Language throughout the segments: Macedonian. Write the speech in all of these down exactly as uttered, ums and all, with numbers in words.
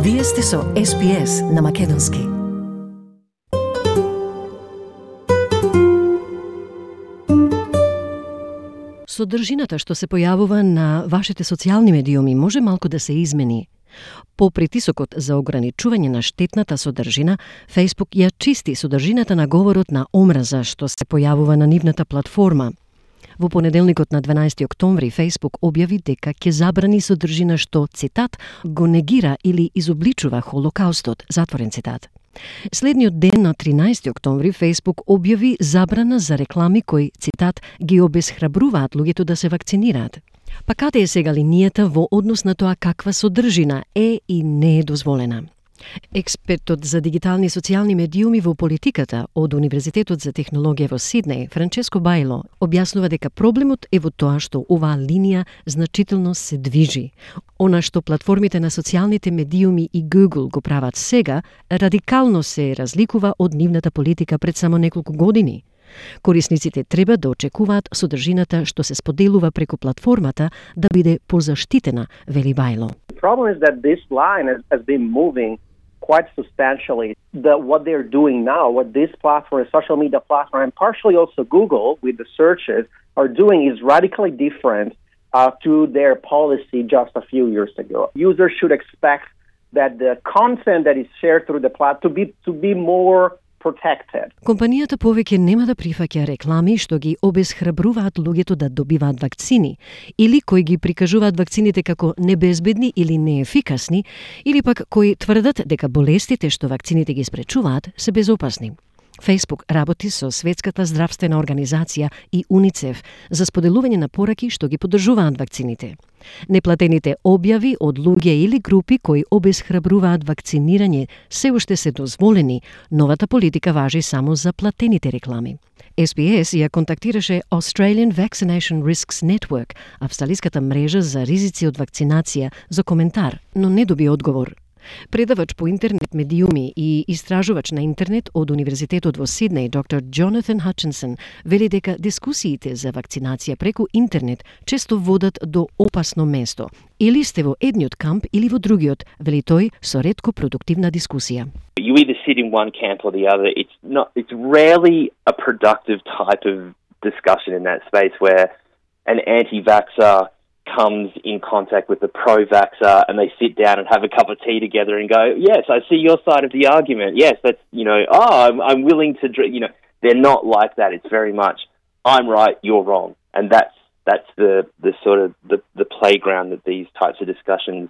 Вие сте со Ес Би Ес на Македонски. Содржината што се појавува на вашите социјални медиуми може малку да се измени. По притисокот за ограничување на штетната содржина, Facebook ја чисти содржината на говорот на омраза што се појавува на нивната платформа. Во понеделникот на дванаести октомври Facebook објави дека ќе забрани содржина што, цитат, го негира или изобличува Холокаустот, затворен цитат. Следниот ден на тринаести октомври Facebook објави забрана за реклами кои, цитат, ги обесхрабруваат луѓето да се вакцинираат. Па каде е сега линијата во однос на тоа каква содржина е и не е дозволена? Експертот за дигитални и социјални медиуми во политиката од Универзитетот за технологија во Сиднеј, Франческо Бајло, објаснува дека проблемот е во тоа што оваа линија значително се движи. Она што платформите на социјалните медиуми и Google го прават сега, радикално се разликува од нивната политика пред само неколку години. Корисниците треба да очекуваат содржината што се споделува преку платформата да биде позаштитена, вели Бајло. The problem is that this line has, has been moving quite substantially. The, what they're doing now, what this platform, social media platform, and partially also Google with the searches are doing is radically different uh, to their policy just a few years ago. Users should expect that the content that is shared through the platform to be to be more protected. Компанијата повеќе нема да прифаќа реклами што ги обесхрабруваат луѓето да добиваат вакцини или кои ги прикажуваат вакцините како небезбедни или неефикасни, или пак кои тврдат дека болестите што вакцините ги спречуваат се безопасни. Facebook работи со Светската здравствена организација и УНИЦЕФ за споделување на пораки што ги поддржуваат вакцините. Неплатените објави од луѓе или групи кои обесхрабруваат вакцинирање се уште се дозволени, новата политика важи само за платените реклами. Ес Би Ес ја контактираше Australian Vaccination Risks Network, австралиската мрежа за ризици од вакцинација, за коментар, но не доби одговор. Предавач по интернет медиуми и истражувач на интернет од Универзитетот во Сиднеј, доктор Джонатан Хатчинсон, вели дека дискусиите за вакцинација преку интернет често водат до опасно место. Или сте во едниот камп или во другиот, вели тој, со ретко продуктивна дискусија. You either sit in one camp or the other. It's not. It's rarely a productive type of discussion in that space where an anti-vaxxer comes in contact with the pro-vaxxer and they sit down and have a cup of tea together and go, yes, I see your side of the argument. Yes, that's, you know, oh, I'm, I'm willing to, you know, they're not like that. It's very much, I'm right, you're wrong. And that's, that's the, the sort of the, the playground that these types of discussions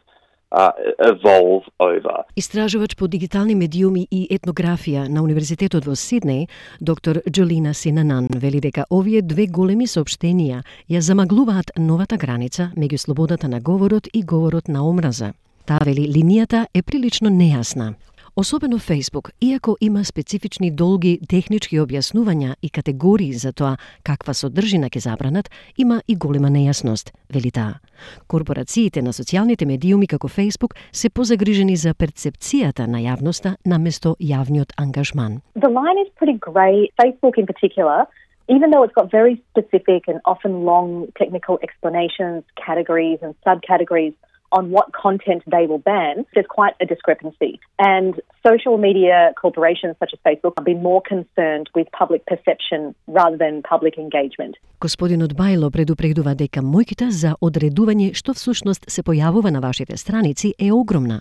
Uh, evolve over. Истражувач по дигитални медиуми и етнографија на Универзитетот во Сиднеј, доктор Джолина Синанан, вели дека овие две големи соопштенија ја замаглуваат новата граница меѓу слободата на говорот и говорот на омраза. Таа вели линијата е прилично нејасна. Особено Facebook, иако има специфични долги технички објаснувања и категории за тоа каква содржина ќе забранат, има и голема нејасност, вели таа. Корпорациите на социјалните медиуми како Facebook се позагрижени за перцепцијата на јавноста наместо јавниот ангажман. The line is pretty grey. Facebook in particular, even though it's got very specific and often long technical explanations, categories and subcategories on what content they will ban, there's quite a discrepancy. And social media corporations such as Facebook have been more concerned with public perception rather than public engagement. Господинот Бајло предупредува дека мојката за одредување што всушност се појавува на вашите страници е огромна.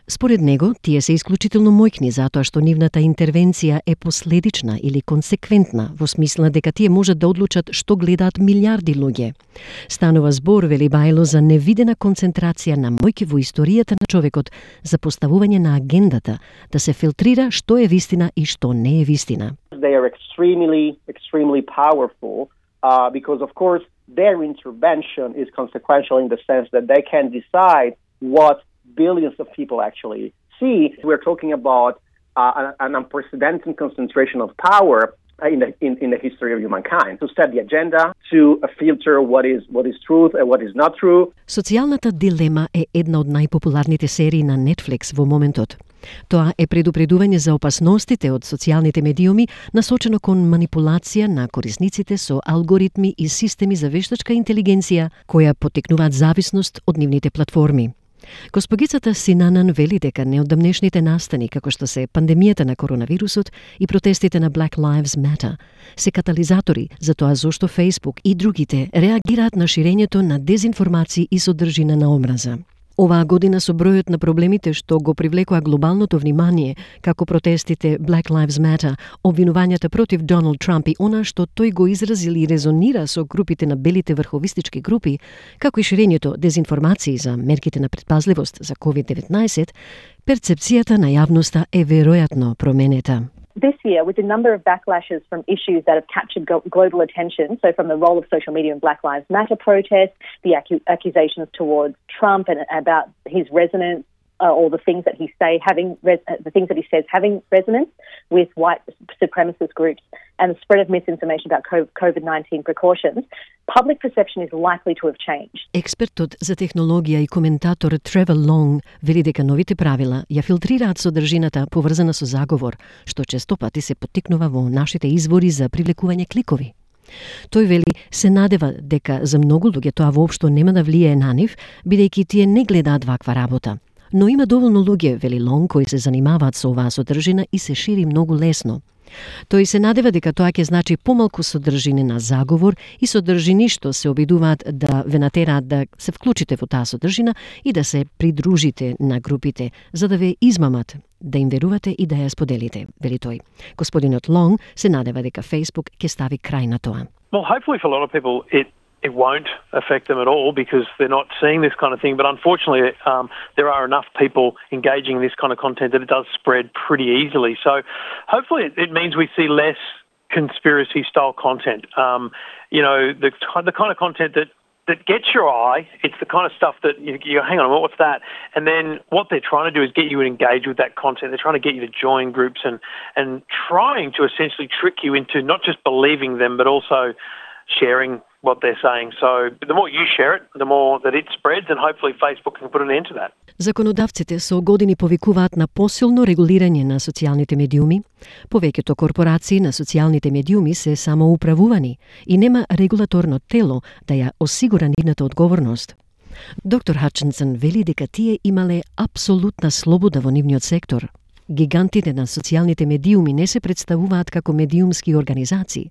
Според него, тие се исклучително мојкни затоа што нивната интервенција е последична или консеквентна, во смисла дека тие можат да одлучат што гледаат милиарди луѓе. Станува збор, вели Бајло, за невидена концентрација на мојки во историјата на човекот за поставување на агендата, да се филтрира што е вистина и што не е вистина. They are extremely, extremely powerful uh, because, of course, their intervention is consequential in the sense that they can decide what billions of people actually see. We're talking about uh, an unprecedented concentration of power in the in, in the history of humankind, to set the agenda, to filter what is what is truth and what is not true. Социјалната дилема е една од најпопуларните серии на Netflix во моментот. Тоа е предупредување за опасностите од социјалните медиуми, насочено кон манипулација на корисниците со алгоритми и системи за вештачка интелигенција, која поттикнуваат зависност од нивните платформи. Госпогицата Синанан вели дека неодамнешните настани, како што се пандемијата на коронавирусот и протестите на Black Lives Matter, се катализатори за тоа зошто Facebook и другите реагираат на ширењето на дезинформации и содржина на омраза. Оваа година со бројот на проблемите што го привлекоа глобалното внимание, како протестите Black Lives Matter, обвинувањата против Доналд Трамп и она што тој го изразил и резонира со групите на белите врховистички групи, како и ширењето дезинформации за мерките на предпазливост за ковид деветнаесет, перцепцијата на јавноста е веројатно променета. This year, with a number of backlashes from issues that have captured global attention, so from the role of social media in Black Lives Matter protests, the accu- accusations towards Trump and about his resonance, uh, or the things that he say having res- uh, the things that he says having resonance with white supremacist groups, and the spread of misinformation about COVID nineteen precautions, public perception is likely to have changed. Експертот за технологија и коментатор Тревор Лонг вели дека новите правила ја филтрираат содржината поврзана со заговор, што често пати се поттикнува во нашите извори за привлекување кликови. Тој вели се надева дека за многу луѓе тоа воопшто нема да влијае на нив, бидејќи тие не гледаат ваква работа. Но има доволно луѓе, вели Лонг, кои се занимаваат со оваа содржина и се шири многу лесно. Тој се надева дека тоа ќе значи помалку содржини на заговор и содржини што се обидуваат да ве натераат да се вклучите во таа содржина и да се придружите на групите, за да ве измамат, да им верувате и да ја споделите, вели тој. Господинот Лонг се надева дека Facebook ќе стави крај на тоа. Well, hopefully for a lot of people it It won't affect them at all because they're not seeing this kind of thing. But unfortunately, um, there are enough people engaging in this kind of content that it does spread pretty easily. So hopefully it, it means we see less conspiracy-style content. Um, you know, the, the kind of content that, that gets your eye, it's the kind of stuff that you, you go, hang on, what's that? And then what they're trying to do is get you to engage with that content. They're trying to get you to join groups and, and trying to essentially trick you into not just believing them, but also sharing what they're saying. So the more you share it, the more that it spreads, and hopefully Facebook can put an end to that. Законодавците со години повикуваат на посилно регулирање на социјалните медиуми. Повеќето корпорации на социјалните медиуми се самоуправувани и нема регулаторно тело да ја осигура нивната одговорност. Доктор Хатчинсон вели дека тие имале апсолутна слобода во нивниот сектор. Гигантите на социјалните медиуми не се представуваат како медиумски организации.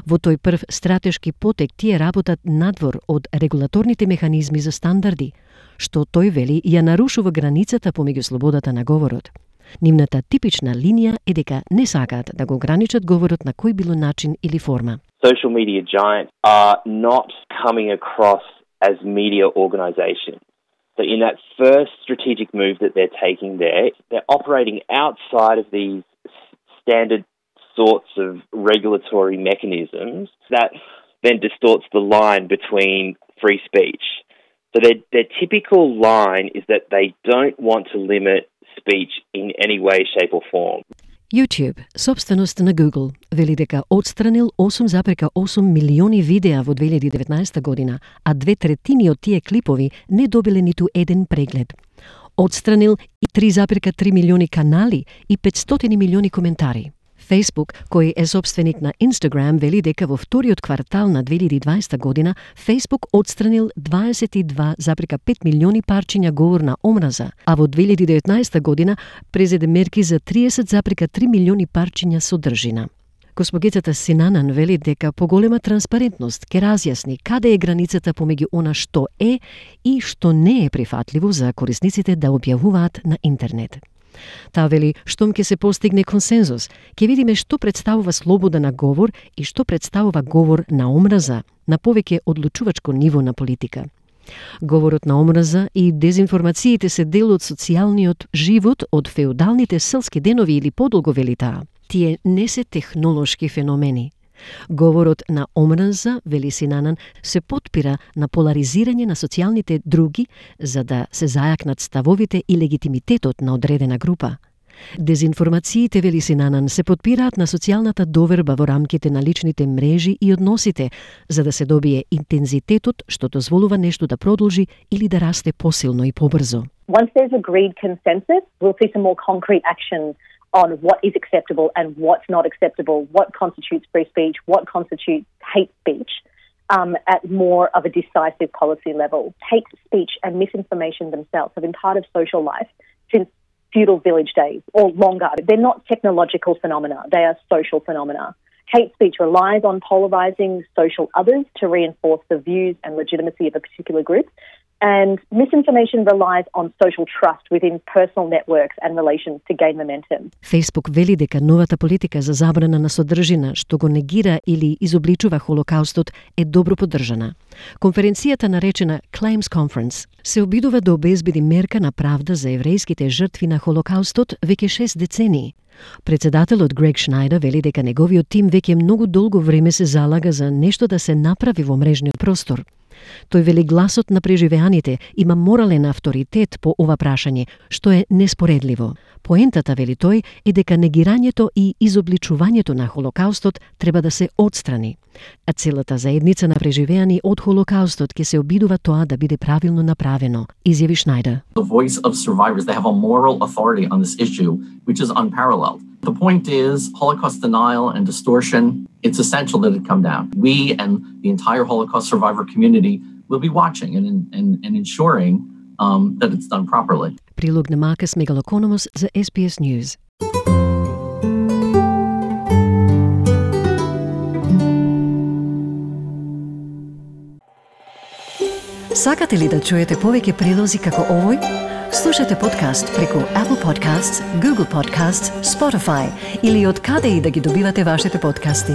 Во тој прв стратешки потек тие работат надвор од регулаторните механизми за стандарди, што тој вели ја нарушува границата помеѓу слободата на говорот. Нивната типична линија е дека не сакаат да го ограничат говорот на кој било начин или форма. Social media giants are not coming across as media organizations. So in that first strategic move that they're taking there, they're operating outside of these standard sorts of regulatory mechanisms that then distorts the line between free speech. So their, their typical line is that they don't want to limit speech in any way, shape or form. YouTube, собственост на Google, вели дека отстранил осум запирка осум милиони видеа во две илјади и деветнаесета година, а две третини од тие клипови не добиле ниту еден преглед. Отстранил и три запирка три милиони канали и петстотини милиони коментари. Facebook, кој е собственик на Instagram, вели дека во вториот квартал на две илјади и дваесета година Facebook отстранил дваесет и два запирка пет милиони парчиња говор на омраза, а во две илјади и деветнаесета година презеде мерки за триесет запирка три милиони парчиња содржина. Госпогицата Синанан вели дека поголема транспарентност ќе разјасни каде е границата помеѓу она што е и што не е прифатливо за корисниците да објавуваат на интернет. Таа вели, штом ќе се постигне консензус, ќе видиме што представува слобода на говор и што представува говор на омраза на повеќе одлучувачко ниво на политика. Говорот на омраза и дезинформациите се дел од социјалниот живот од феудалните селски денови или подолго, вели таа. Тие не се технолошки феномени. Говорот на омраза, вели Синанан, се потпира на поларизирање на социјалните други за да се зајакнат ставовите и легитимитетот на одредена група. Дезинформациите, вели Синанан, се потпираат на социјалната доверба во рамките на личните мрежи и односите, за да се добие интензитетот што дозволува нешто да продолжи или да расте посилно и побрзо. Once there's agreed consensus, we'll see some more concrete action on what is acceptable and what's not acceptable, what constitutes free speech, what constitutes hate speech. um, at more of a decisive policy level. Hate speech and misinformation themselves have been part of social life since feudal village days or longer. They're not technological phenomena, they are social phenomena. Hate speech relies on polarising social others to reinforce the views and legitimacy of a particular group. And misinformation relies on social trust within personal networks and relations to gain momentum. Facebook вели дека новата политика за забрана на содржина што го негира или изобличува Холокаустот е добро поддржана. Конференцијата наречена Claims Conference се обидува да обезбеди мерка на правда за еврејските жртви на Холокаустот веќе шест децении. Председателот Грег Шнајдер вели дека неговиот тим веќе многу долго време се залага за нешто да се направи во мрежниот простор. Тој вели гласот на преживеаните има морален авторитет по ова прашање, што е неспоредливо. Поентата, вели тој, е дека негирањето и изобличувањето на Холокаустот треба да се отстрани, а целата заедница на преживеани од Холокаустот ќе се обидува тоа да биде правилно направено, изјави Шнајдер. The voice of survivors, they have a moral authority on this issue, which is unparalleled. The point is, Holocaust denial and distortion, it's essential that it come down. We and the entire Holocaust survivor community will be watching and, and, and ensuring um, that it's done properly. Прилог на Маркус Мегалокономос за Ес Би Ес News. Сакате ли да чуете повеќе прилози како овој? Слушате подкаст преку Apple Podcasts, Google Podcasts, Spotify или од каде и да ги добивате вашите подкасти.